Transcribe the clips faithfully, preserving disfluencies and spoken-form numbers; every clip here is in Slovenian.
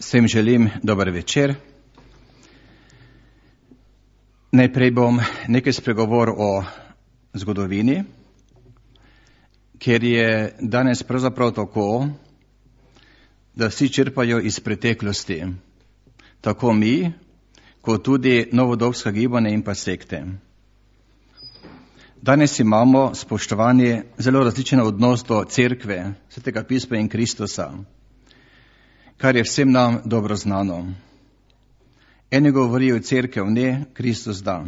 Vsem želim dober večer. Najprej bom nekaj spregovoril o zgodovini, ker je danes pravzaprav tako, da vsi črpajo iz preteklosti, tako mi, kot tudi novodobska gibanja in pa sekte. Danes imamo, spoštovani, zelo različen odnos do cerkve, Svetega pisma in Kristusa, kar je vsem nam dobro znano. Eni govorijo cerkev ne, Kristus da.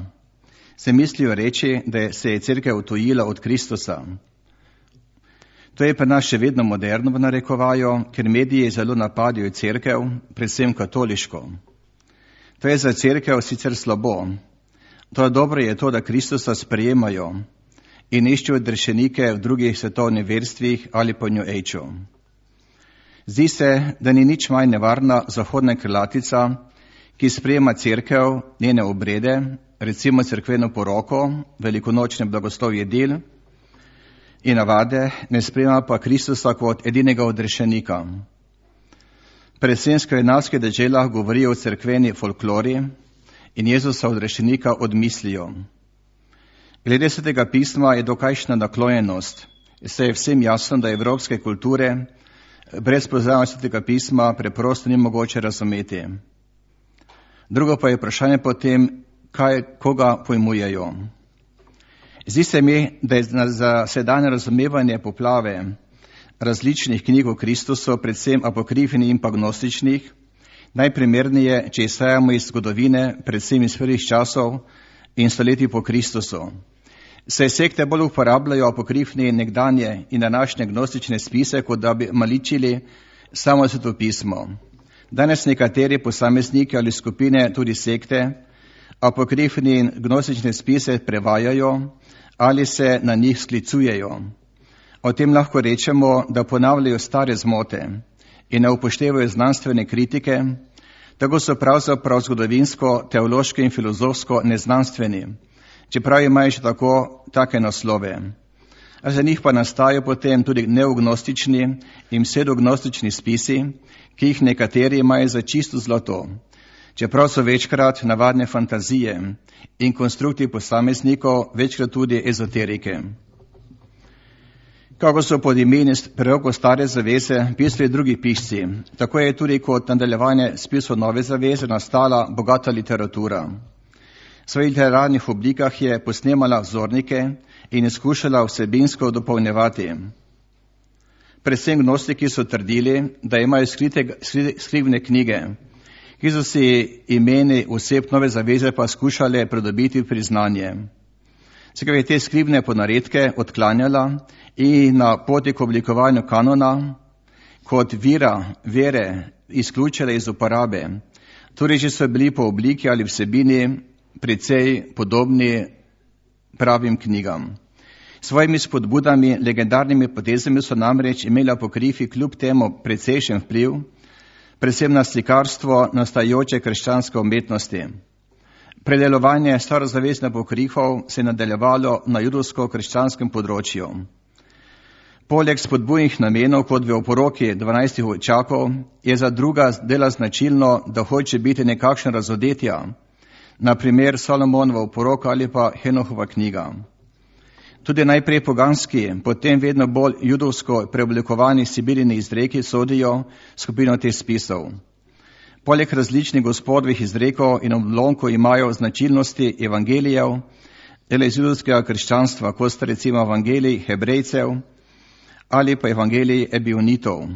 Se mislijo reči, da se je cerkev odtujila od Kristusa. To je pa nas še vedno moderno v narekovaju, ker mediji zelo napadajo cerkev, predvsem katoliško. To je za cerkev sicer slabo. To dobro je to, da Kristusa sprejemajo in iščejo odrešenike v drugih svetovnih verstvih ali po New Ageu. Zdi se, da ni nič manj nevarna zahodna krilatica, ki sprejema cerkev, njene obrede, recimo cerkveno poroko, velikonočne blagoslovje del in navade, ne sprejema pa Kristusa kot edinega odrešenika. Predvsem skandinavske deželah govorijo o cerkveni folklori in Jezusa odrešenika odmislijo. Glede Svetega pisma je dokajšna naklonjenost, saj je vsem jasno, da evropske kulture brez poznavanja Svetega pisma preprosto ni mogoče razumeti. Drugo pa je vprašanje potem, kaj, koga pojmujejo. Zdi se mi, da je za sedanje razumevanje poplave različnih knjig o Kristusu, predvsem apokrifnih in pa gnostičnih, najprimernije, če izhajamo iz zgodovine, predvsem iz prvih časov in stoletij po Kristusu. Saj sekte bolj uporabljajo apokrifne nekdanje in današnje gnostične spise, kot da bi maličili samo Sveto pismo. Danes nekateri posamezniki ali skupine, tudi sekte, apokrifne in gnostične spise prevajajo ali se na njih sklicujejo. O tem lahko rečemo, da ponavljajo stare zmote in ne upoštevajo znanstvene kritike, tako so pravzaprav zgodovinsko, teološko in filozofsko neznanstveni, čeprav imajo še tako take naslove. A za njih pa nastajajo potem tudi neognostični in pseudognostični spisi, ki jih nekateri imajo za čisto zlato, čeprav so večkrat navadne fantazije in konstrukti posameznikov, večkrat tudi ezoterike. Kako so pod imeni prerokov stare zaveze pisali drugi pisci, tako je tudi kot nadaljevanje spisov nove zaveze nastala bogata literatura. V svojih literarnih oblikah je posnemala vzornike in skušala vsebinsko dopolnjevati. Predvsem gnostiki so trdili, da imajo skrite, skrivne knjige, ki so si imeni oseb nove zaveze pa skušale pridobiti priznanje. Sekaj je te skrivne ponaredke odklanjala in na poti k oblikovanju kanona kot vira vere izključila iz uporabe. Torej, že so bili po obliki ali vsebini precej podobni pravim knjigam. Svojimi spodbudami, legendarnimi potezami so namreč imeli apokrifi kljub temu precejšen vpliv, predvsem na slikarstvo nastajajoče krščanske umetnosti. Predelovanje starozaveznih apokrifov se je nadaljevalo na judovsko-krščanskem področju. Poleg spodbujnih namenov, kot v oporoki dvanajstih očakov, je za druga dela značilno, da hoče biti nekakšna razodetja, na primer Salomonova oporoka ali pa Henohova knjiga. Tudi najprej poganski, potem vedno bolj judovsko preoblikovani sibiljini izreki sodijo skupino teh spisov. Poleg različnih gospodovih izrekov in odlomkov imajo značilnosti evangelijev, dela iz judovskega krščanstva, kot sta recimo evangelij Hebrejcev ali pa evangelij Ebionitov.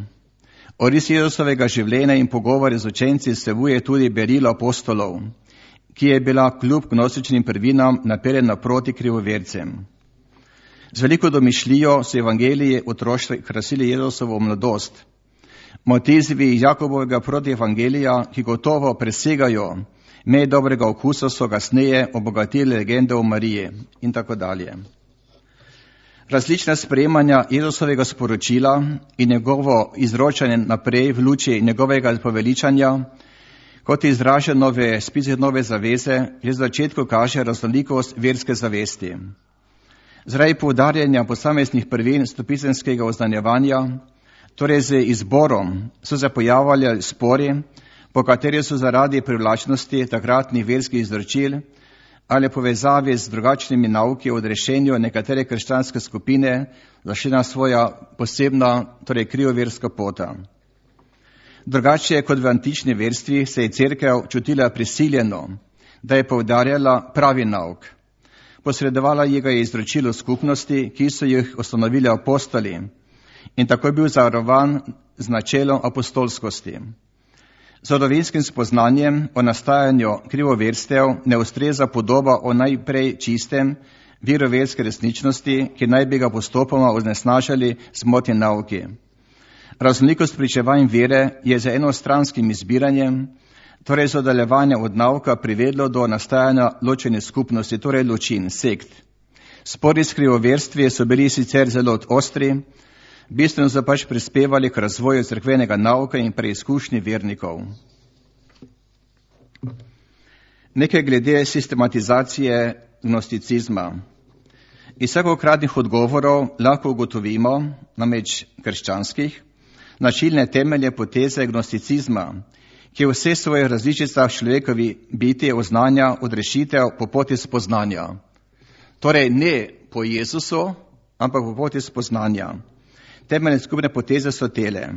Oris Jezusovega življenja in pogovore z učenci vsebuje tudi berilo apostolov, ki je bila kljub gnostičnim prvinam naperjena proti krivovercem. Z veliko domišljijo so evangeliji otroštva krasili Jezusovo mladost. Motivi Jakobovega proti evangelija, ki gotovo presegajo meje dobrega okusa, so kasneje obogatili legende o Mariji in tako dalje. Različna sprejemanja Jezusovega sporočila in njegovo izročanje naprej v luči njegovega poveličanja, kot je izraženo v spisih nove zaveze, že v začetku kaže raznolikost verske zavesti. Zaradi poudarjanja posameznih prvin stopisemskega oznanjevanja, torej z izborom, so se pojavljali spori po kateri so zaradi privlačnosti takratnih verskih izročil ali povezavi z drugačnimi nauki o odrešenju nekatere krščanske skupine zašla svoja posebna, torej krivoverska pota. Drugače kot v antični verstvi se je cerkev čutila prisiljeno, da je poudarjala pravi nauk. Posredovala ji ga je izročilo skupnosti, ki so jih ustanovili apostoli, in tako je bil zavarovan z načelom apostolskosti. Z zgodovinskim spoznanjem o nastajanju krivoverstev ne ustreza podoba o najprej čistem veroverske resničnosti, ki naj bi ga postopoma onesnažili z motnje nauki. Raznolikost pričevanj vere je z enostranskim izbiranjem, torej z oddaljevanjem od nauka, privedlo do nastajanja ločene skupnosti, torej ločin, sekt. Spori s krivoverstvi so bili sicer zelo ostri, bistveno so pač prispevali k razvoju cerkvenega nauka in preizkušnji vernikov. Nekaj glede sistematizacije gnosticizma. Iz vsakokratnih odgovorov lahko ugotovimo, namreč krščanskih, načelne temelje poteze gnosticizma, ki vse svoje različicah človekovi biti oznanja odrešitev po poti spoznanja. Torej ne po Jezusu, ampak po poti spoznanja. Temeljne skupne poteze so tele.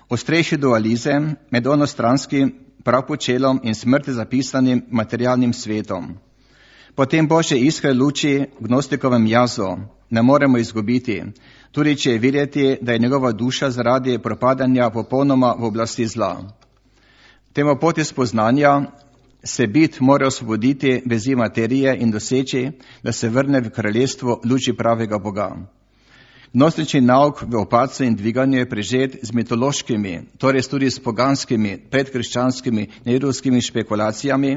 Ostrejši dualizem med onostranskim pravpočelom in smrti zapisanim materialnim svetom. Potem Božje iskre luči gnostikovem jazu ne moremo izgubiti, tudi če je videti, da je njegova duša zaradi propadanja popolnoma v oblasti zla. Temu poti spoznanja se bit mora osvoboditi vezi materije in doseči, da se vrne v kraljestvo luči pravega Boga. Gnostični nauk v opacu in dviganju je prežet z mitološkimi, torej tudi s poganskimi, predkrščanskimi, nejevrskimi špekulacijami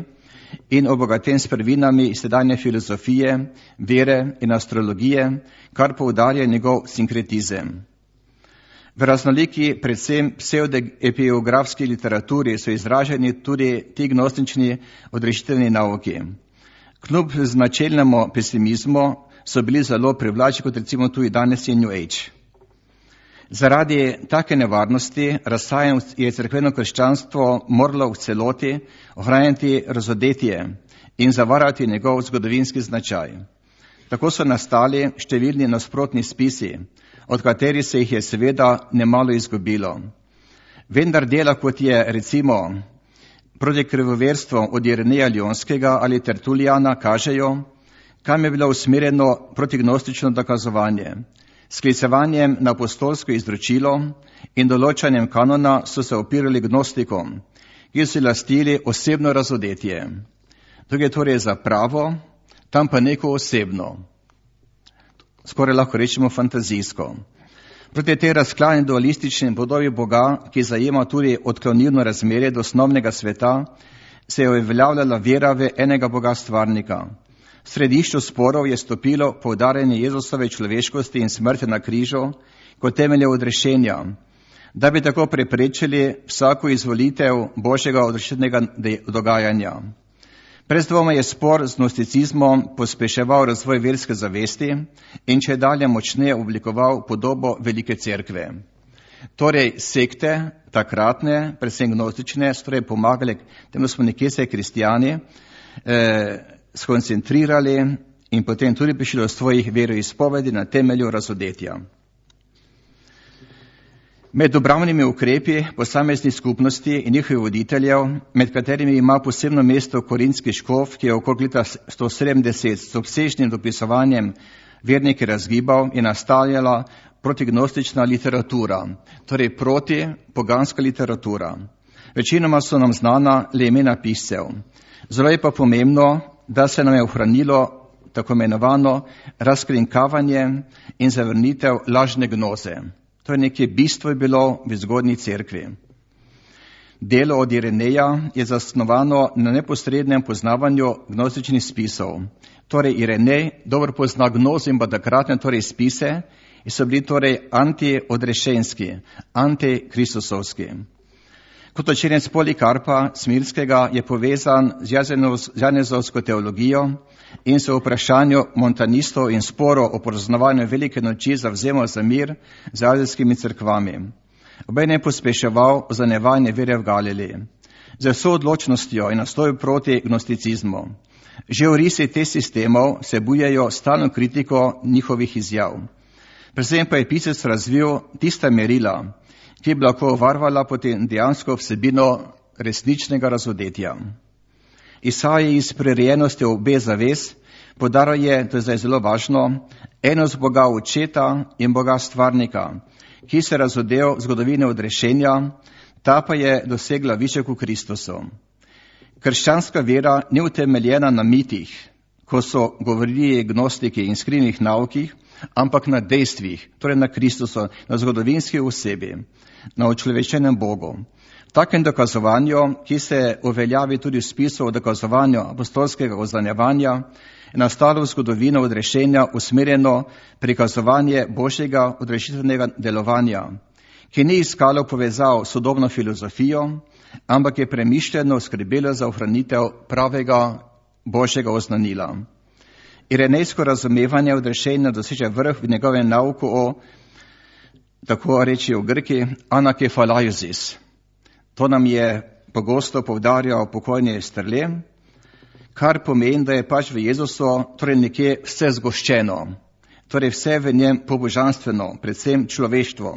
in obogaten s prvinami iz sedanje filozofije, vere in astrologije, kar poudarja njegov sinkretizem. V raznoliki, predvsem pseudoepiografski literaturi so izraženi tudi ti gnostični odrešiteljni nauki. Kljub značilnemu pesimizmu so bili zelo privlačni, kot recimo tudi danes je New Age. Zaradi take nevarnosti razsajanj je cerkveno krščanstvo moralo v celoti ohranjati razodetje in zavarati njegov zgodovinski značaj. Tako so nastali številni nasprotni spisi, od katerih se jih je seveda nemalo izgubilo. Vendar dela, kot je recimo proti krivoverstvu od Ireneja Lionskega ali Tertulijana, kažejo, kam je bilo usmerjeno protignostično dokazovanje. Sklicevanjem na apostolsko izročilo in določanjem kanona so se opirali gnostikom, ki so lastili osebno razodetje. Tukaj torej za pravo, tam pa neko osebno. Skoraj lahko rečemo fantazijsko. Proti tej razklani dualistični podobi Boga, ki zajema tudi odklonilno razmerje do osnovnega sveta, se je uveljavljala vera v enega Boga stvarnika. V središču sporov je stopilo poudarjanje Jezusove človeškosti in smrti na križu kot temelje odrešenja, da bi tako preprečili vsako izvolitev Božjega odrešitnega dogajanja. Brez dvoma je spor z gnosticizmom pospeševal razvoj verske zavesti in če dalje močneje oblikoval podobo velike cerkve. Torej sekte, takratne, predvsem gnostične, so torej pomagali, temu smo nekje se kristijani, eh, skoncentrirali in potem tudi prišli do svojih veroizpovedi na temelju razodetja. Med obravnimi ukrepi posameznih skupnosti in njihovih voditeljev, med katerimi ima posebno mesto korinski škof, ki je okrog leta sto sedemdeset s obsežnim dopisovanjem vernike razgibal in nastavljala protignostična literatura, torej proti poganska literatura. Večinoma so nam znana le imena piscev. Zelo je pa pomembno, da se nam je ohranilo tako imenovano razkrinkavanje in zavrnitev lažne gnoze. To je nekje bistvo je bilo v zgodnji cerkvi. Delo od Ireneja je zasnovano na neposrednem poznavanju gnostičnih spisov. Torej Irenej dobro pozna gnozo in pa takratne torej spise in so bili torej antiodrešenski, antikristusovski. Kot učenec Polikarpa Smirskega je povezan z janezovsko teologijo in se v vprašanju montanistov in sporo o praznovanju velike noči zavzemal za mir z azijskimi cerkvami. Obenem je pospeševal zanevanje vere v Galiliji. z vso odločnostjo in nastoju proti gnosticizmu. Že orisi teh sistemov se bujajo stalno kritiko njihovih izjav. Predvsem pa je pisec razvil tista merila, ki bi lahko varvala potem dejansko vsebino resničnega razodetja. Isaij iz prirejenosti obe zaves podaruje, to je zdaj zelo važno, enost Boga očeta in Boga stvarnika, ki se razodel zgodovine odrešenja, ta pa je dosegla višek v Kristusu. Krščanska vera ni utemeljena na mitih, ko so govorili gnostiki in skrivnih naukih, ampak na dejstvih, torej na Kristusu, na zgodovinski osebi, na učlovečenem Bogu. V takem dokazovanju, ki se uveljavi tudi v spisu o dokazovanju apostolskega oznanjevanja, je nastalo v zgodovino odrešenja usmerjeno prikazovanje Božjega odrešitvenega delovanja, ki ni iskalo povezav s sodobno filozofijo, ampak je premišljeno skrbelo za ohranitev pravega Božjega oznanila. Irenejsko razumevanje odrešenja doseže vrh v njegovem nauku o, tako reči v Grki, anakefalaiozis. To nam je pogosto poudarjal pokojni Strle, kar pomeni, da je pač v Jezusu torej nekje vse zgoščeno, torej vse v njem pobožanstveno, predvsem človeštvo.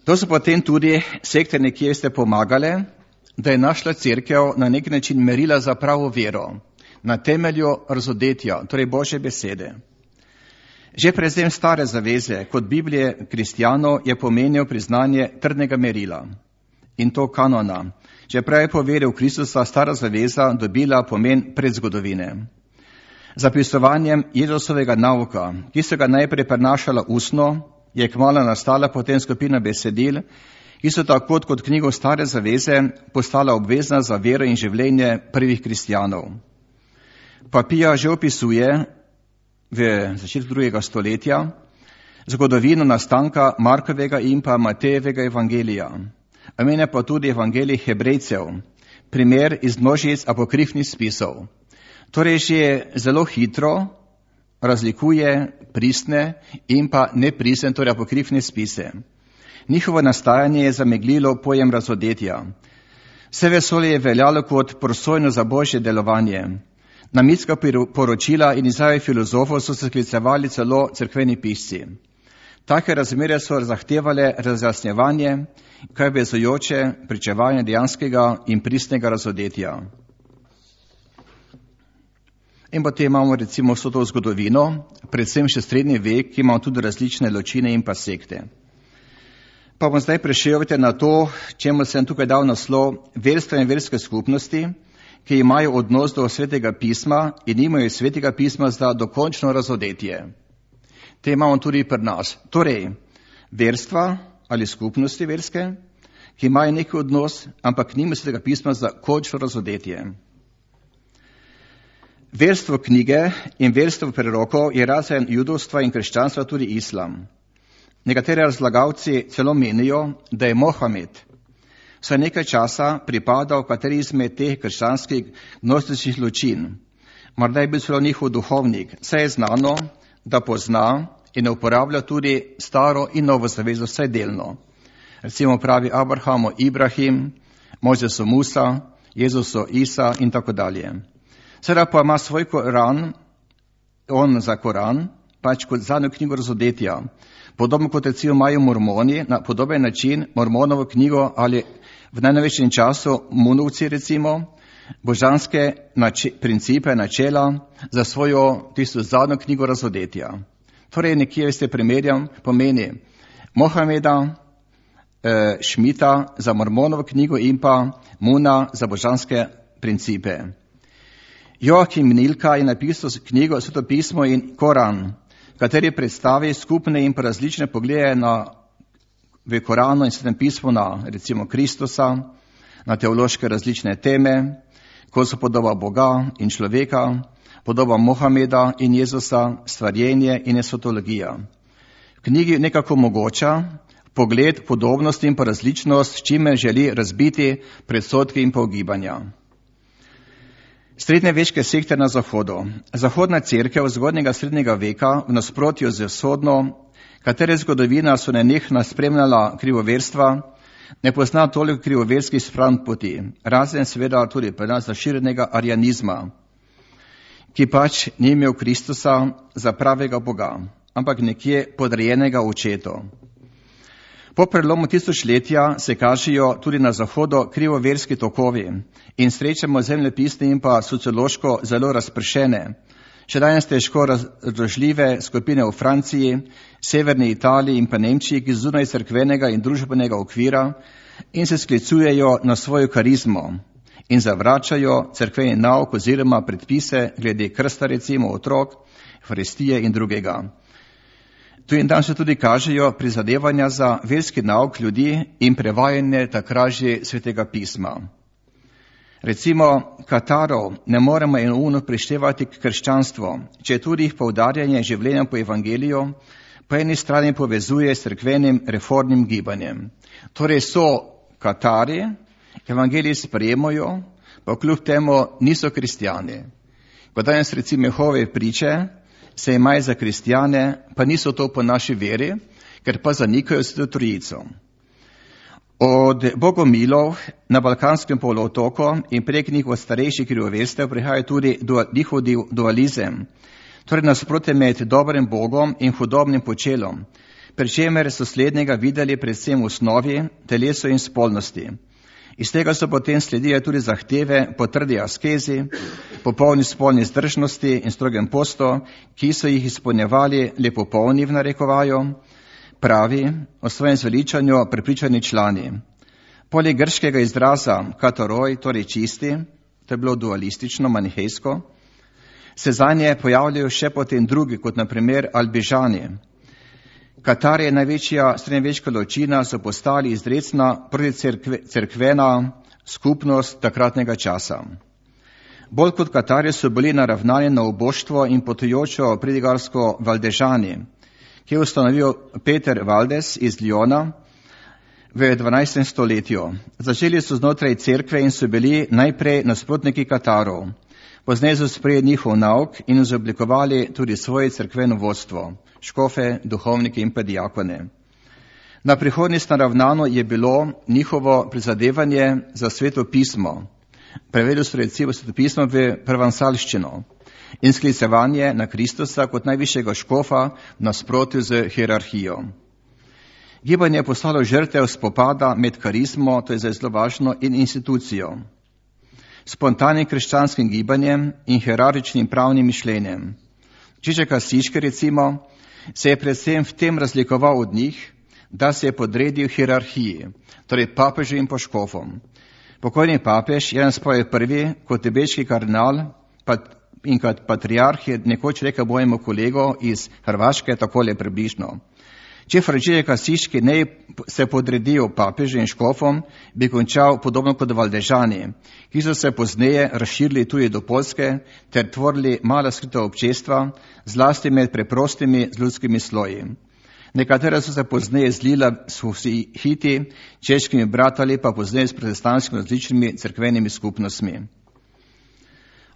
To so potem tudi sekte nekje ste pomagale, da je našla cerkev na nek način merila za pravo vero, na temelju razodetja, torej Božje besede. Že prezem stare zaveze kot Biblije kristjanov je pomenil priznanje trdnega merila in to kanona. Čeprav je po veri v Kristusa stara zaveza dobila pomen predzgodovine. Zapisovanjem Jezusovega nauka, ki so ga najprej prenašala ustno, je kmalu nastala potem skupina besedil, ki so tako kot knjigo stare zaveze postala obvezna za vero in življenje prvih kristjanov. Papija že opisuje v začetku drugega stoletja zgodovino nastanka Markovega in pa Matejevega evangelija. Omenja pa tudi evangelij Hebrejcev, primer iz množic apokrifnih spisov. Torej že zelo hitro razlikuje pristne in pa nepristne, torej apokrifne spise. Njihovo nastajanje je zameglilo pojem razodetja. Vse vesolje je veljalo kot prosojno za Božje delovanje. Na mitska poročila in izjave filozofov so se sklicevali celo cerkveni pisci. Take razmere so zahtevale razjasnjevanje, kaj vezujoče pričevanje dejanskega in pristnega razodetja. In potem imamo recimo vso to zgodovino, predvsem še srednji vek, ki ima tudi različne ločine in pa sekte. Pa bom zdaj prešel na to, čemu sem tukaj dal naslov verstva in verske skupnosti, ki imajo odnos do svetega pisma in imajo svetega pisma za dokončno razodetje. Te imamo tudi pri nas. Torej, verstva ali skupnosti verske, ki imajo neki odnos, ampak nimajo svetega pisma za končno razodetje. Verstvo knjige in verstvo prerokov je razen judovstva in krščanstva tudi islam. Nekateri razlagalci celo menijo, da je Mohamed vsaj nekaj časa pripadal kateri izmed teh krščanskih gnostičnih ločin. Morda je bil celo njihov duhovnik, saj je znano, da pozna in uporablja tudi staro in novo zavezo vsaj delno. Recimo pravi Abrahamo Ibrahim, Mojzesu Musa, Jezusu Isa in tako dalje. Sedaj pa ima svoj Koran, on za Koran, pač kot zadnjo knjigo razodetja. Podobno kot recimo imajo mormoni, na podoben način mormonovo knjigo ali v najnovejšem času munovci recimo, božanske nače, principe, načela za svojo tisto zadnjo knjigo razodetja. Torej nekje, veste, primerjam, pomeni Mohameda, eh, Šmita za mormonovo knjigo in pa Muna za božanske principe. Joachim Nilka je napisal knjigo Sveto pismo in Koran, kateri predstavi skupne in pa različne poglede na, v Koranu in Svetem pismu na recimo Kristusa, na teološke različne teme, ko so podoba Boga in človeka, podoba Mohameda in Jezusa, stvarjenje in esotologija. V knjigi nekako mogoča pogled, podobnost in pa različnost, s čime želi razbiti predsodke in pa ugibanja. Srednjeveške sekte na Zahodu. Zahodna cerkev zgodnjega srednjega veka v nasprotju z vzhodno, katere zgodovina so nenehno spremljala krivoverstva, ne pozna toliko krivoverskih strank poti, razen seveda tudi pri nas zaširjenega arianizma, ki pač ni imel Kristusa za pravega Boga, ampak nekje podrejenega očetu. Po prelomu tisočletja se kažejo tudi na zahodu krivoverski tokovi in srečamo zemljepisne in pa sociološko zelo razpršene, še danes težko razložljive skupine v Franciji, severni Italiji in pa Nemčiji, ki zunaj cerkvenega in družbenega okvira in se sklicujejo na svojo karizmo in zavračajo cerkveni nauk oziroma predpise glede krsta recimo otrok, faristije in drugega. Tu in tam se tudi kažejo prizadevanja za verski nauk ljudi in prevajanje takrat že svetega pisma. Recimo, Katarov ne moremo enoumno prištevati k krščanstvu, če tudi jih poudarjanje življenja po evangeliju po eni strani povezuje s cerkvenim reformnim gibanjem. Torej so Katari, evangelij sprejemajo, pa kljub temu niso kristjani. Ko danes recimo Jehove priče se imajo za kristjane, pa niso to po naši veri, ker pa zanikajo Sveto Trojico. Od bogomilov na Balkanskem polotoku in prek njih od starejših krivoverstev prihaja tudi njihov dualizem, torej nasprotje med dobrim Bogom in hudobnim počelom, pri čemer so slednjega videli predvsem v osnovi, telesu in spolnosti. Iz tega so potem sledile tudi zahteve po trdi askezi, popolni spolni zdržnosti in strogem postu, ki so jih izpolnjevali le popolni v narekovaju, pravi o svojem zveličanju prepričani člani. Poleg grškega izraza kataroj, torej čisti, to je bilo dualistično, manihejsko, se zanje pojavljajo še potem drugi, kot na primer albižani. Katar je največja srednjeveška ločina, so postali izrecna proticerkvena skupnost takratnega časa. Bolj kot Katarje so bili naravnani na oboštvo in potujočo pridigarsko valdežani, ki je ustanovil Peter Valdes iz Lyona v dvanajstem stoletju. Začeli so znotraj cerkve in so bili najprej nasprotniki Katarov. Pozneje so sprejeli njihov nauk in izoblikovali tudi svoje cerkveno vodstvo, škofe, duhovnike in pa diakone. Na prihodnost naravnano je bilo njihovo prizadevanje za Sveto pismo. Prevedli so recimo Sveto pismo v provansalščino in sklicevanje na Kristusa kot najvišjega škofa v nasprotju z hierarhijo. Gibanje je postalo žrtev spopada med karizmo, to je zdaj zelo važno, in institucijo, spontanim krščanskim gibanjem in hierarhičnim pravnim mišljenjem. Čiček Asiški recimo se je predvsem v tem razlikoval od njih, da se je podredil hierarhiji, torej papežu in poškofom. Pokojni papež Janez Pavel prvi kot tibetski kardinal in kot patriarh je nekoč rekel mojemu kolegu iz Hrvaške takole približno. Če Frančišek Asiški ne se podredil papežu in škofom, bi končal podobno kot valdežani, ki so se pozneje razširili tudi do Poljske ter tvorili mala skrita občestva, zlasti med preprostimi z ljudskimi sloji. Nekatera so se pozneje zlila s husiti, češkimi bratali, pa pozneje s protestantskimi različnimi cerkvenimi skupnostmi.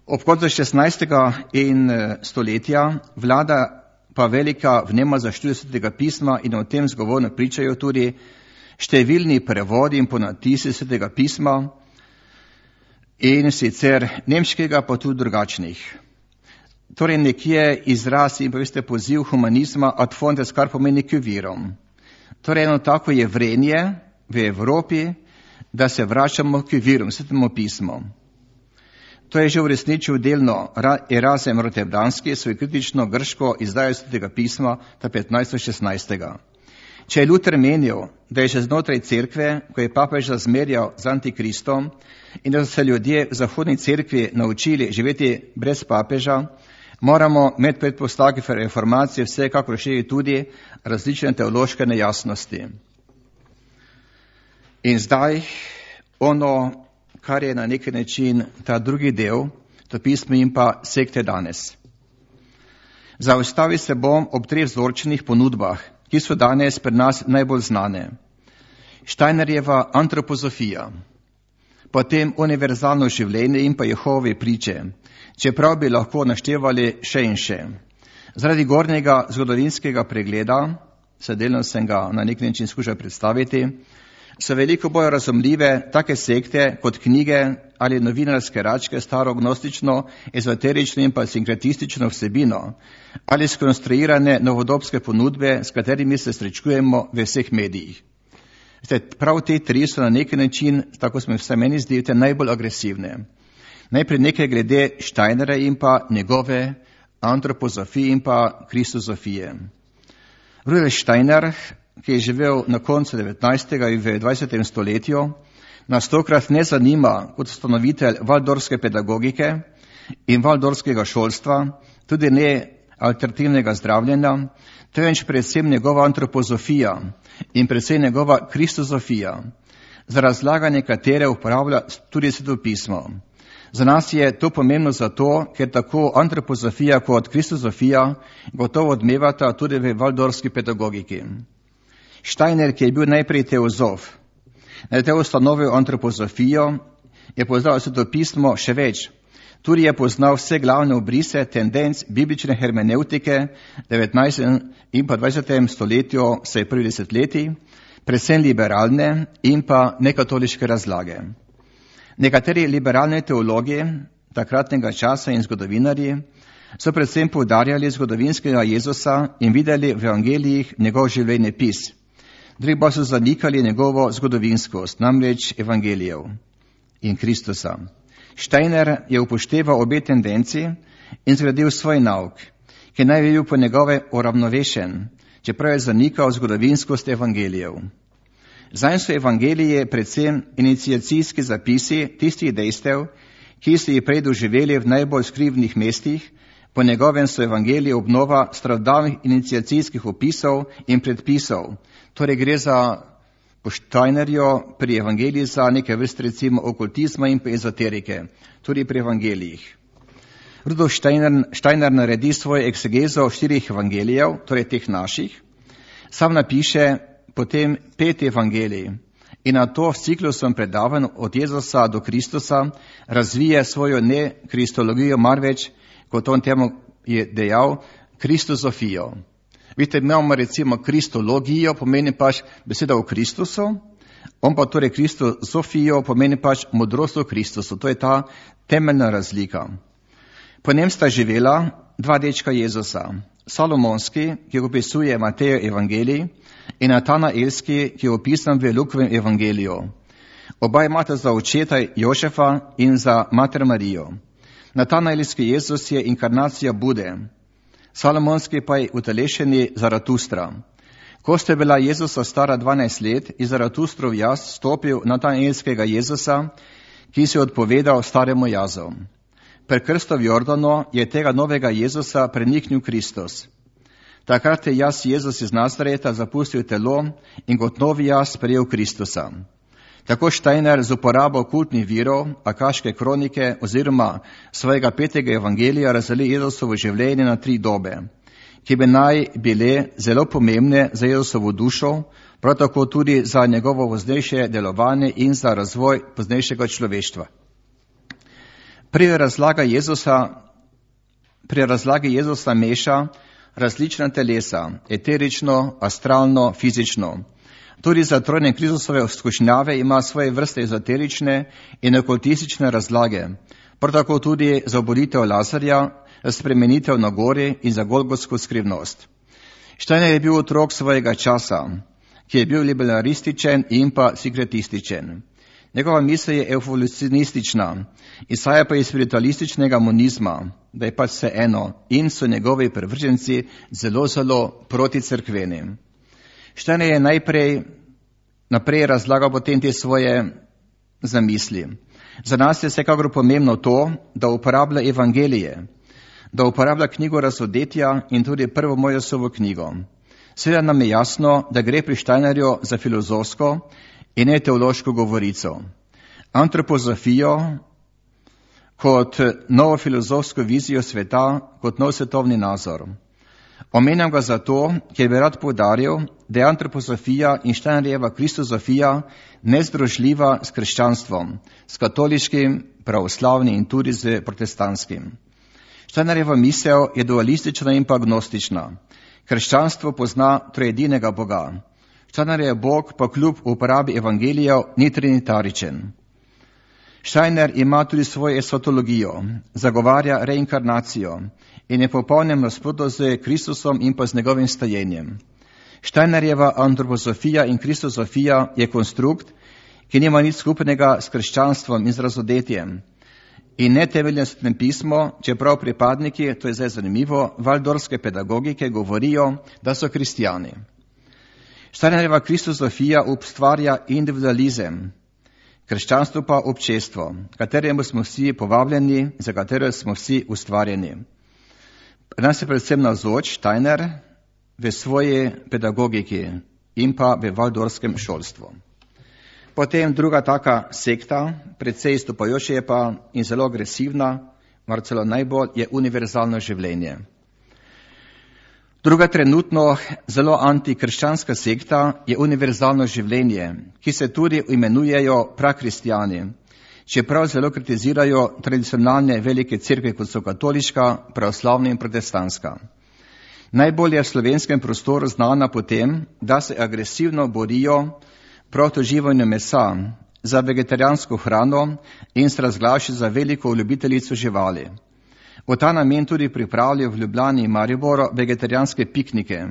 Ob koncu šestnajstega in stoletja vlada pa velika vnema za študij Svetega pisma in o tem zgovorno pričajo tudi številni prevodi in ponatisi Svetega pisma in sicer nemškega, pa tudi drugačnih. Torej nekje izraz in pa veste poziv humanizma ad fontes, kar pomeni k virom. Torej eno tako je vrenje v Evropi, da se vračamo k virom, Svetemu pismu. To je že uresničil delno Erazem Rotterdamski, svoj kritično grško izdajo Svetega pisma ta petnajsto šestnajstega. Če je Luther menil, da je še znotraj cerkve, ko je papež razmerjal z antikristom in da so se ljudje v zahodni cerkvi naučili živeti brez papeža, moramo med predpostavki reformacije vsekakor šteti tudi različne teološke nejasnosti. In zdaj ono, kar je na neki način ta drugi del, to pismo in pa sekte danes. Zaustavi se bom ob treh vzorčenih ponudbah, ki so danes pri nas najbolj znane. Steinerjeva antropozofija, potem univerzalno življenje in pa Jehove priče, čeprav bi lahko naštevali še in še. Zaradi gornjega zgodovinskega pregleda, se delno sem ga na nek način skušal predstaviti, so veliko bolj razumljive take sekte kot knjige ali novinarske račke starognostično, ezoterično in pa sinkretistično vsebino ali skonstruirane novodobske ponudbe, s katerimi se srečujemo v vseh medijih. Prav te tri so na neki način, tako smo vse meni zdi, najbolj agresivne. Najprej nekaj glede Steinera in pa njegove antropozofije in pa kristozofije. Rudolf Steiner, ki je živel na koncu devetnajstega in v dvajsetem stoletju, nas tokrat ne zanima kot ustanovitelj valdorske pedagogike in valdorskega šolstva, tudi ne alternativnega zdravljenja, temveč predvsem njegova antropozofija in predvsem njegova kristozofija, za razlaganje katere uporablja tudi svetopismo. Za nas je to pomembno zato, ker tako antropozofija kot kristozofija gotovo odmevata tudi v valdorski pedagogiki. Steiner, ki je bil najprej teozof, na te ustanovil antropozofijo, je poznal svetopismo še več. Tudi je poznal vse glavne obrise tendenc biblične hermeneutike v devetnajstem in pa dvajsetem stoletju, vsaj prvih desetletij, predvsem liberalne in pa nekatoliške razlage. Nekateri liberalni teologi takratnega časa in zgodovinarji so predvsem poudarjali zgodovinskega Jezusa in videli v evangelijih njegov življenjepis. Drugi pa so zanikali njegovo zgodovinskost, namreč evangelijev in Kristusa. Steiner je upošteval obe tendenci in zgradil svoj nauk, ki naj bi bil po njegove uravnovešen, čeprav je zanikal zgodovinskost evangelijev. Zanj so evangelije predvsem iniciacijski zapisi tistih dejstev, ki so jih prej doživeli v najbolj skrivnih mestih. Po njegovem so evangelije obnova starodavnih iniciacijskih opisov in predpisov. Torej gre za po Steinerju pri evangeliji za neke vrste recimo okultizma in pa ezoterike, tudi pri evangelijih. Rudolf Steiner, Steiner naredi svojo eksegezo štirih evangelijev, torej teh naših, sam napiše potem pet evangelij in na to s ciklusom predavanj od Jezusa do Kristusa razvije svojo ne kristologijo, marveč, kot on temu je dejal, kristozofijo. Vidite, imamo recimo kristologijo, pomeni pač beseda o Kristusu, on pa torej kristozofijo pomeni pač modrost o Kristusu. To je ta temeljna razlika. Po njem sta živela dva dečka Jezusa, Salomonski, ki opisuje Matejo evangelij, in Natanaelski, ki je opisan v Lukovem evangeliju. Oba imata za očeta Jožefa in za mater Marijo. Natanaelski Jezus je inkarnacija Bude, Salomonski pa je utelešeni Zaratustra. Ko sta bila Jezusa stara dvanajst let, je Zaratustrov jaz stopil Natanaelskega Jezusa, ki se je odpovedal staremu jazu. Pri krstu v Jordanu je tega novega Jezusa preniknil Kristus. Takrat je jaz Jezus iz Nazareta zapustil telo in kot novi jaz sprejel Kristusa. Tako Steiner z uporabo kultnih virov, akaške kronike oziroma svojega petega evangelija razdeli Jezusovo življenje na tri dobe, ki bi naj bile zelo pomembne za Jezusovo dušo, prav tako tudi za njegovo poznejše delovanje in za razvoj poznejšega človeštva. Pri razlagi Jezusa, pri razlagi Jezusa meša različna telesa, eterično, astralno, fizično. Tudi za trojne Kristusove skušnjave ima svoje vrste ezoterične in okultistične razlage, prav tako tudi za obolitev Lazarja, spremenitev na gori in za golgotsko skrivnost. Steiner je bil otrok svojega časa, ki je bil liberalističen in pa sekretističen. Njegova misel je evolucionistična, izhaja pa iz spiritualističnega monizma, da je pač vse eno, in so njegovi privrženci zelo, zelo proticrkveni. Steiner je najprej naprej razlagal potem te svoje zamisli. Za nas je vsekakor pomembno to, da uporablja evangelije, da uporablja knjigo razodetja in tudi prvo Mojsovo knjigo. Seveda nam je jasno, da gre pri Steinerju za filozofsko in ne teološko govorico. Antropozofijo kot novo filozofsko vizijo sveta, kot nov svetovni nazor. Omenjam ga zato, ker bi rad poudaril, da je antropozofija in Steinerjeva kristozofija nezdružljiva s krščanstvom, s katoliškim, pravoslavnim in tudi z protestantskim. Steinerjeva misel je dualistična in pa agnostična. Krščanstvo pozna trojedinega Boga. Steinerjev Bog pa kljub uporabi evangelijev ni trinitaričen. Steiner ima tudi svojo esotologijo, zagovarja reinkarnacijo in je popolnem nasprotju z Kristusom in pa z njegovim stajenjem. Steinerjeva antroposofija in kristosofija je konstrukt, ki nima nič skupnega s krščanstvom in z razodetjem. In ne temelje svetem pismo, čeprav pripadniki, to je zdaj zanimivo, valdorske pedagogike govorijo, da so kristijani. Steinerjeva kristosofija ustvarja individualizem, krščanstvo pa občestvo, kateremu smo vsi povabljeni, za katero smo vsi ustvarjeni. Nas je predvsem navzoč Steiner v svoji pedagogiki in pa v valdorskem šolstvu. Potem druga taka sekta, precej izstopajoča je pa in zelo agresivna, mar celo najbolj, je univerzalno življenje. Druga trenutno zelo antikrščanska sekta je univerzalno življenje, ki se tudi imenujejo prakristijani, čeprav zelo kritizirajo tradicionalne velike cerkve, kot so katoliška, pravoslavna in protestantska. Najbolj je v slovenskem prostoru znana po tem, da se agresivno borijo proti uživanju mesa, za vegetarijansko hrano in se razglašajo za veliko ljubiteljico živali. V ta namen tudi pripravljajo v Ljubljani in Mariboru vegetarijanske piknike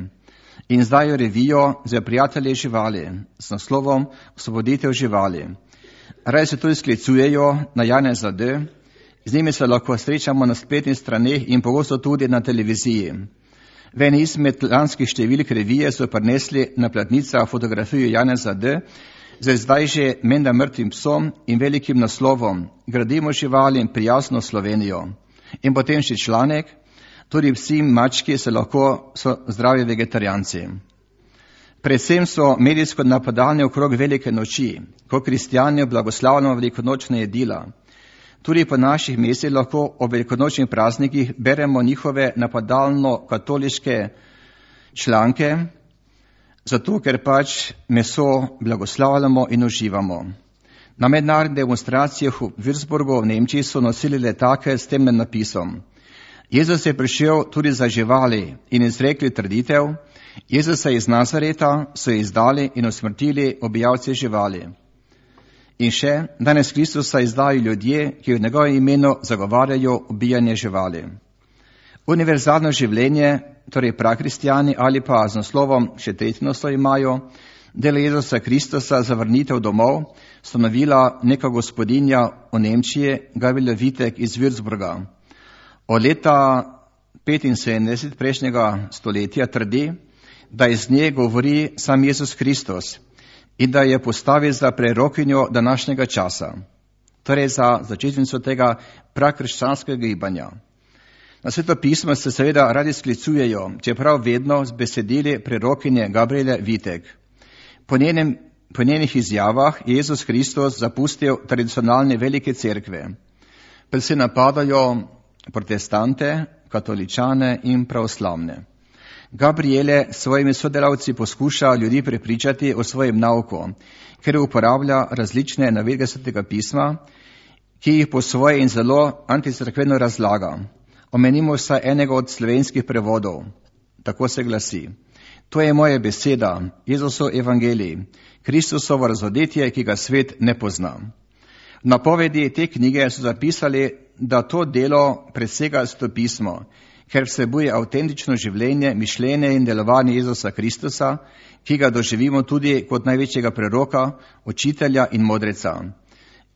in izdajo revijo za prijatelje živali s naslovom Osvoboditev živali. Raje se tudi sklicujejo na Janeza D., z njimi se lahko srečamo na spletnih straneh in pogosto tudi na televiziji. V eni izmed lanskih številk revije so prinesli na platnicah fotografijo Janeza D. z zdaj že menda mrtvim psom in velikim naslovom Gradimo živali in prijazno Slovenijo. In potem še članek, tudi psi in mački se lahko so zdravi vegetarijanci. Predvsem so medijsko napadalni okrog velike noči, ko kristijani blagoslavljamo velikonočne jedila. Tudi po naših mestih lahko ob velikonočnih praznikih beremo njihove napadalno-katoliške članke, zato ker pač meso blagoslavljamo in uživamo. Na mednarodnih demonstracijah v Würzburgu v Nemčiji so nosili letake s tem napisom. Jezus je prišel tudi za živali in izrekli trditev, Jezusa iz Nazareta so izdali in usmrtili ubijalce živali. In še, danes Kristusa izdajo ljudje, ki v njegovem imenu zagovarjajo ubijanje živali. Univerzalno življenje, torej prakristijani ali pa z naslovom še tretji naslov imajo, delo Jezusa Kristusa za vrnitev domov, stanovila neka gospodinja v Nemčiji, Gabriela Vitek iz Würzburga. Od leta petinsedemdeset prejšnjega stoletja trdi, da iz nje govori sam Jezus Kristus in da je postavil za prerokinjo današnjega časa, torej za začetnico tega prakrščanskega gibanja. Na Sveto pismo se seveda radi sklicujejo, čeprav vedno z besedili prerokinje Gabriele Vitek. Po, njenem, po njenih izjavah je Jezus Kristus zapustil tradicionalne velike cerkve. Predvsem napadajo protestante, katoličane in pravoslavne. Gabriele s svojimi sodelavci poskuša ljudi prepričati o svojem nauku, ker uporablja različne navedbe Svetega pisma, ki jih po svoje in zelo anticerkveno razlaga. Omenimo vsaj enega od slovenskih prevodov. Tako se glasi. To je moja beseda, Jezusov evangelij, Kristusovo razodetje, ki ga svet ne pozna. V napovedi te knjige so zapisali, da to delo presega Sveto pismo, ker vsebuje avtentično življenje, mišljenje in delovanje Jezusa Kristusa, ki ga doživimo tudi kot največjega preroka, učitelja in modreca.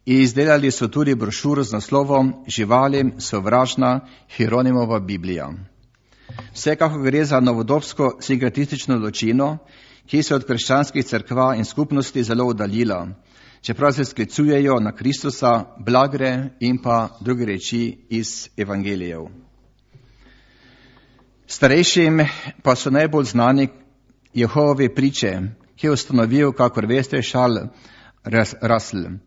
In izdelali so tudi brošuro z naslovom Živalim sovražna Hieronimova Biblija. Vsekako gre za novodobsko sinkretistično ločino, ki se od krščanskih cerkva in skupnosti zelo oddaljila, čeprav se sklicujejo na Kristusa, blagre in pa druge reči iz evangelijev. Starejšim pa so najbolj znani Jehovovi priče, ki je ustanovil, kakor veste, Charles Russell.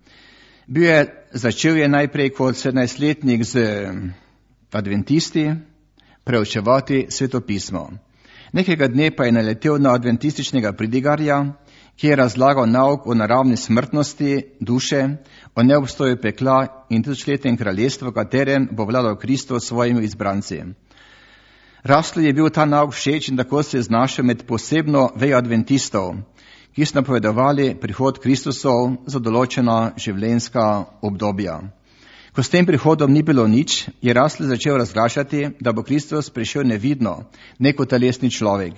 Bil je, začel je najprej kot sedemnajstletnik z adventisti preučevati Sveto pismo. Nekega dne pa je naletel na adventističnega pridigarja, ki je razlagal nauk o naravni smrtnosti duše, o neobstoju pekla in tisočletnem kraljestvu, v katerem bo vladal Kristus s svojimi izbranci. Russellu je bil ta nauk všeč in tako se je znašel med posebno vejo adventistov, ki so napovedovali prihod Kristusov za določena življenjska obdobja. Ko s tem prihodom ni bilo nič, je Russell začel razglašati, da bo Kristus prišel nevidno, ne kot telesni človek.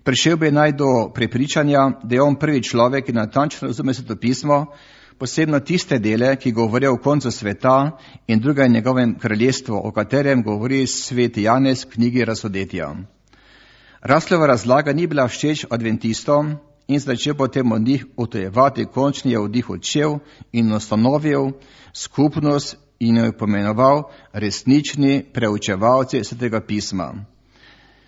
Prišel bi naj do prepričanja, da je on prvi človek, ki natančno razume svetopismo, posebno tiste dele, ki govorijo o koncu sveta in druga je njegovem kraljestvu, o katerem govori sveti Janez v knjigi Razsodetja. Russellova razlaga ni bila všeč adventistom in začel potem od njih utojevati, končni je od njih odšel in ustanovil skupnost in jo pomenoval resnični preučevalci svetega pisma.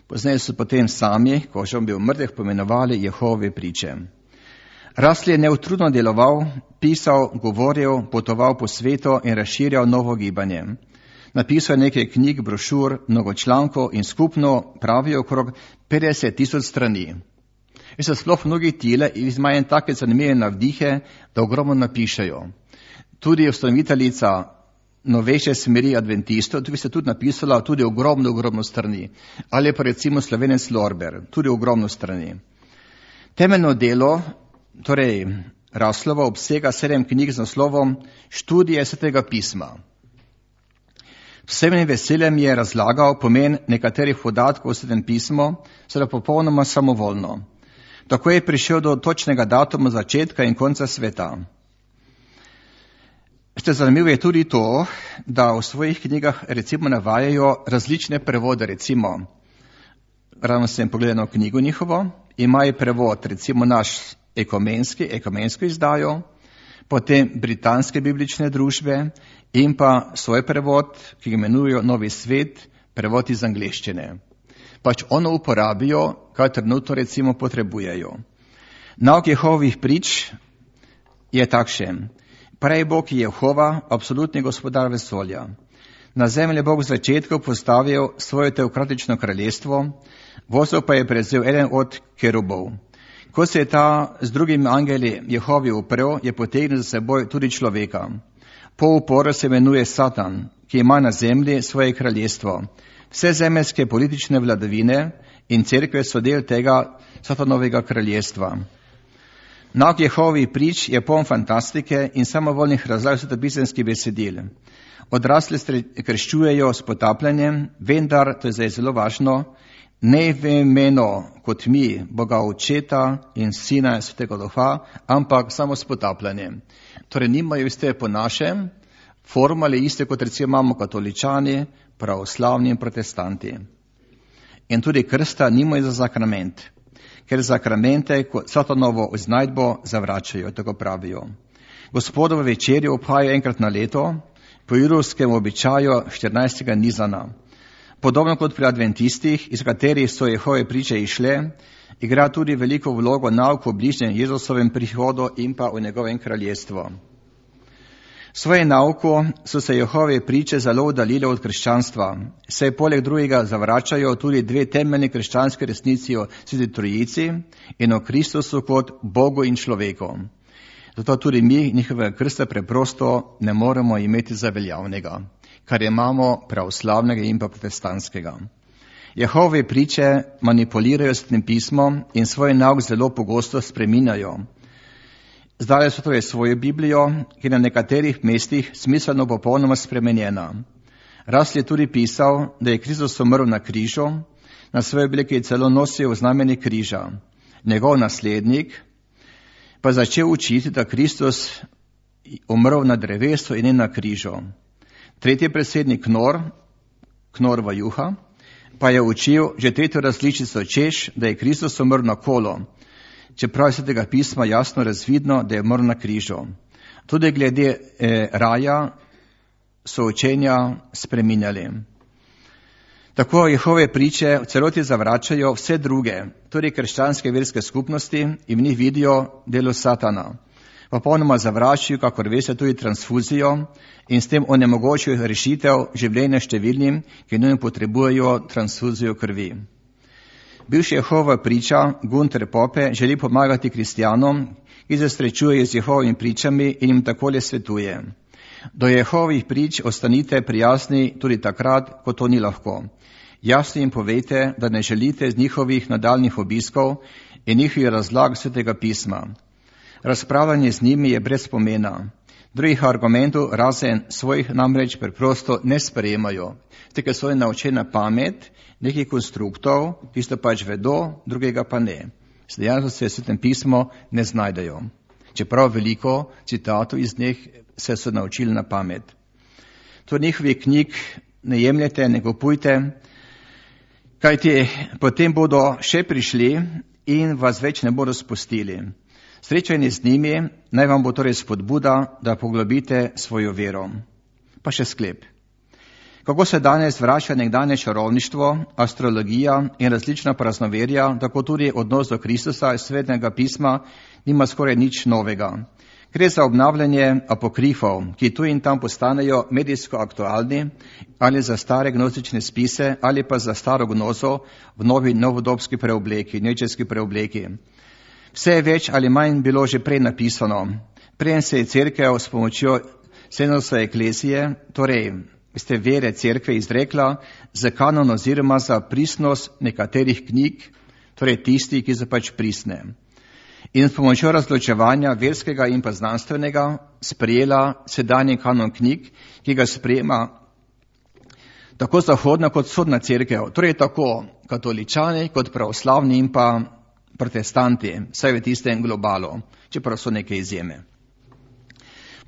Pozneje so potem sami, ko že on bil mrtev, pomenovali Jehove priče. Russell je neutrudno deloval, pisal, govoril, potoval po svetu in razširjal novo gibanje. Napisal je nekaj knjig, brošur, mnogo člankov in skupno pravijo okrog petdeset tisoč strani. In so sploh mnogi tile in imajo take zanimive navdihe, da ogromno napišejo. Tudi ustanoviteljica novejše smeri adventistov, tukaj se tudi napisala tudi ogromno, ogromno strani. Ali pa recimo Slovenec Lorber, tudi ogromno strani. Temeljno delo, torej Russellovo, obsega sedem knjig z naslovom Študije svetega pisma. Vsem veseljem je razlagal pomen nekaterih podatkov v svetem pismu, seveda popolnoma samovoljno. Tako je prišel do točnega datuma začetka in konca sveta. Ste zanimivo je tudi to, da v svojih knjigah recimo navajajo različne prevode, recimo, ravno sem pogledal knjigo njihovo, imajo prevod recimo naš ekumenski, ekumensko izdajo, potem britanske biblične družbe in pa svoj prevod, ki ga imenujejo Novi svet, prevod iz angleščine. Pač ono uporabijo, kaj trenutno recimo potrebujejo. Nauk Jehovih prič je takšen. Prej Bog je Jehova, absolutni gospodar vesolja. Na zemlji Bog v začetku postavil svoje teokratično kraljestvo, vozil pa je prevzel eden od kerubov. Ko se je ta z drugimi angeli Jehovi uprl, je potegnil za seboj tudi človeka. Po uporu se imenuje Satan, ki ima na zemlji svoje kraljestvo. Vse zemeljske politične vladavine in cerkve so del tega Satanovega kraljestva. Nauk Jehovih prič je poln fantastike in samovoljnih razlag svetopisemskih besedil. Odrasli krščujejo s potapljanjem, vendar, to je zdaj zelo važno, ne v imenu kot mi, Boga Očeta in Sina Svetega Duha, ampak samo s potapljanjem. Torej nimajo iste po našem, formale iste kot recimo imamo katoličani, pravoslavni in protestanti. In tudi krsta nimajo za sakrament, ker zakramente kot Satanovo iznajdbo zavračajo, tako pravijo. Gospodovo večerjo obhajajo enkrat na leto, po judovskem običaju štirinajstega Nizana. Podobno kot pri adventistih, iz katerih so Jehove priče išle, igra tudi veliko vlogo nauk o bližnjem Jezusovem prihodu in pa o njegovem kraljestvu. Svoje nauko so se Jehove priče zelo oddaljile od krščanstva, saj poleg drugega zavračajo tudi dve temeljni krščanske resnici o Sveti Trojici in o Kristusu kot Bogu in človeku. Zato tudi mi njihovega krsta preprosto ne moremo imeti za veljavnega, kar imamo pravoslavnega in pa protestantskega. Jehove priče manipulirajo s tem pismom in svoj nauk zelo pogosto spreminjajo. Zdaj so torej svojo Biblijo, ki je na nekaterih mestih smiselno popolnoma spremenjena. Russell je tudi pisal, da je Kristus umrl na križu, na svoji obleki je celo nosil znamenje križa. Njegov naslednik pa začel učiti, da Kristus umrl na drevesu in ne na križu. Tretji predsednik Knor, Knorva Juha, pa je učil že tretjo različico, češ, da je Kristus umrl na kolo, čeprav se tega pisma jasno razvidno, da je umrl na križu. Tudi glede eh, raja so učenja spreminjali. Tako Jehove priče v celoti zavračajo vse druge, tudi krščanske verske skupnosti in v njih vidijo delo Satana. Popolnoma zavračajo, kakor veste, tudi transfuzijo in s tem onemogočijo rešitev življenja številnim, ki nujno potrebujejo transfuzijo krvi. Bivši Jehova priča Gunter Pope želi pomagati kristjanom, ki se srečujejo z Jehovimi pričami in jim takole svetuje. Do Jehovih prič ostanite prijazni tudi takrat, ko to ni lahko. Jasno jim povejte, da ne želite z njihovih nadaljnih obiskov in njihovi razlag svetega pisma. Razpravljanje z njimi je brez pomena. Drugih argumentov razen svojih namreč preprosto ne sprejemajo. Tega so naučeni na pamet, nekih konstruktov, tisto pač vedo, drugega pa ne. Dejansko se v svetem pismu ne znajdejo. Čeprav veliko citatov iz njih se so naučili na pamet. To njihovih knjig ne jemljete, ne kupujte, kajti potem bodo še prišli in vas več ne bodo spustili. Srečanje z njimi naj vam bo torej spodbuda, da poglobite svojo vero. Pa še sklep. Kako se danes vrača nekdanje čarovništvo, astrologija in različna praznoverja, tako tudi odnos do Kristusa iz svetega pisma nima skoraj nič novega. Gre za obnavljanje apokrifov, ki tu in tam postanejo medijsko aktualni, ali za stare gnostične spise, ali pa za staro gnozo v novi novodobski preobleki, nečeski preobleki. Vse je več ali manj bilo že prej napisano. Prej se je cerkev s pomočjo Senosove eklezije, torej ste vere cerkve izrekla za kanon oziroma za pristnost nekaterih knjig, torej tisti, ki so pač pristne. In s pomočjo razločevanja verskega in pa znanstvenega sprejela sedanji kanon knjig, ki ga sprejema tako zahodna kot vzhodna cerkev, torej tako katoličani kot pravoslavni in pa protestanti, vsaj v tistem globalu, čeprav so neke izjeme.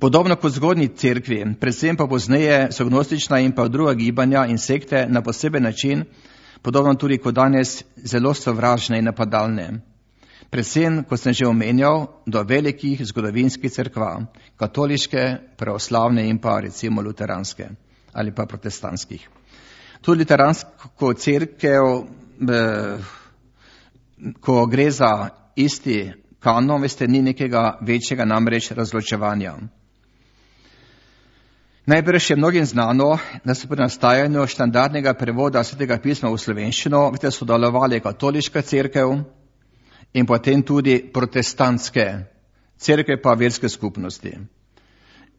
Podobno kot zgodnji cerkvi, predvsem pa pozneje so gnostična in pa druga gibanja in sekte na poseben način, podobno tudi kot danes, zelo sovražne in napadalne. Predvsem, kot sem že omenjal, do velikih zgodovinskih cerkva, katoliške, pravoslavne in pa recimo luteranske ali pa protestantskih. Tudi luteransko cerkev, ko gre za isti kanon, veste, ni nekega večjega namreč razločevanja. Najbrž je mnogim znano, da so pri nastajanju standardnega prevoda svetega pisma v slovenščino, veste, sodelovali katoliška cerkev in potem tudi protestantske cerkve pa verske skupnosti.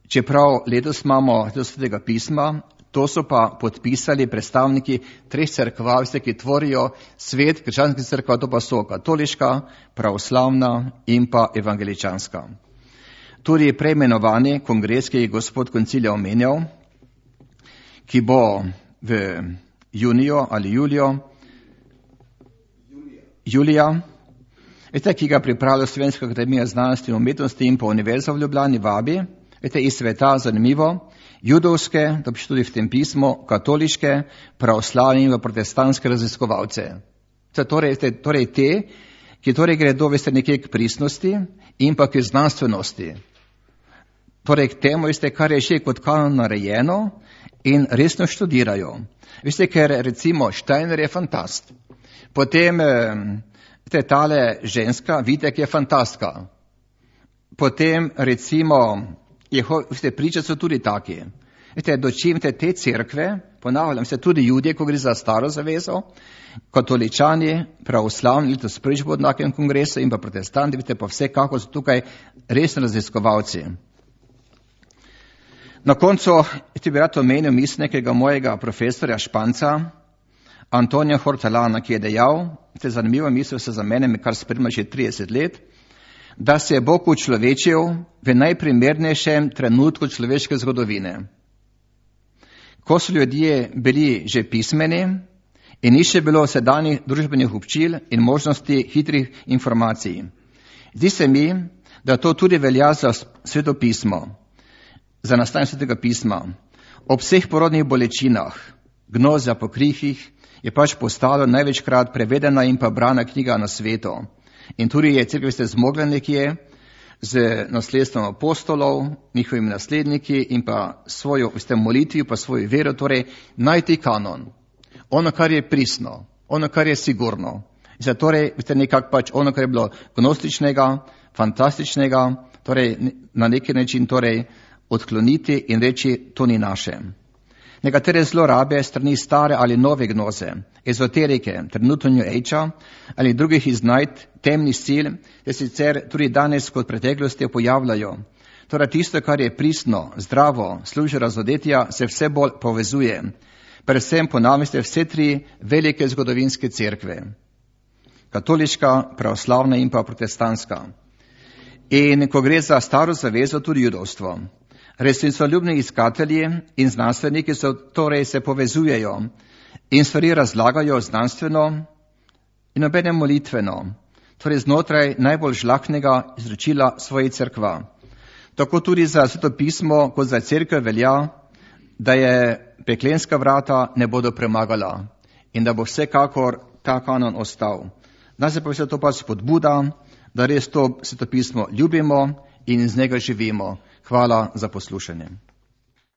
Čeprav letos imamo svetega pisma, to so pa podpisali predstavniki treh cerkva, veste, ki tvorijo svet krščanskih cerkva, to pa so katoliška, pravoslavna in pa evangeličanska. Tudi preimenovani kongres, ki je gospod koncilija omenjal, ki bo v juniju ali julijo, julija, veste, ki ga pripravlja Slovenska akademija znanosti in umetnosti in pa Univerza v Ljubljani vabi, veste, iz sveta zanimivo, judovske, da piše tudi v tem pismu, katoliške, pravoslavne in protestantske raziskovalce. Torej, torej te, ki torej gredo, veste, nekje k pristnosti in pa k znanstvenosti. Torej k temu, veste, kar je še kot kanon narejeno in resno študirajo. Veste, ker recimo Steiner je fantast. Potem, veste, tale ženska, Vitek je fantastka. Potem recimo, veste, priče so tudi taki. Veste, dočim te, te cerkve, ponavljam se, tudi Judje, ko gre za staro zavezo, katoličani, pravoslavni, letos prvič bo v enakem kongresu in pa protestanti, veste, pa vsekako so tukaj resni raziskovalci. Na koncu, ti bi rad omenil misl nekega mojega profesorja Španca, Antonija Hortelana, ki je dejal, te zanimivo misel se za mene, me kar spremlja že trideset let, da se je Bog učlovečil v najprimernejšem trenutku človeške zgodovine. Ko so ljudje bili že pismeni in ni še bilo sedanjih družbenih občil in možnosti hitrih informacij. Zdi se mi, da to tudi velja za sveto pismo, za nastajanje svetega pisma. Ob vseh porodnih bolečinah, gnoza po krihih, je pač postalo največkrat prevedena in pa brana knjiga na svetu. In tudi je cerkev ste zmogla nekje z nasledstvom apostolov, njihovimi nasledniki in pa svojo veste, molitvijo, pa svojo vero, torej najti kanon. Ono, kar je pristno, ono, kar je sigurno. Zdaj, torej, veste, nekak pač ono, kar je bilo gnostičnega, fantastičnega, torej na neki način torej odkloniti in reči, to ni naše. Nekatere zlorabe strani stare ali nove gnoze, ezoterike, trenutno New Age-a ali drugih iznajd temnih sil, te sicer tudi danes kot preteklosti pojavljajo. Torej tisto, kar je pristno, zdravo, služi razodetja, se vse bolj povezuje. Predvsem ponavljate vse tri velike zgodovinske cerkve. katoliška, pravoslavna in pa protestantska. In ko gre za staro zavezo, tudi judovstvo. Resnicoljubni iskatelji in znanstveniki so torej se povezujejo in stvari razlagajo znanstveno in obenem molitveno, torej znotraj najbolj žlahtnega izročila svoje cerkva. Tako tudi za Sveto pismo, kot za cerkev velja, da je peklenska vrata ne bodo premagala in da bo vsekakor ta kanon ostal. Nas je pa vse to pa spodbuda, da res to Sveto pismo ljubimo in iz njega živimo. Hvala za poslušanje.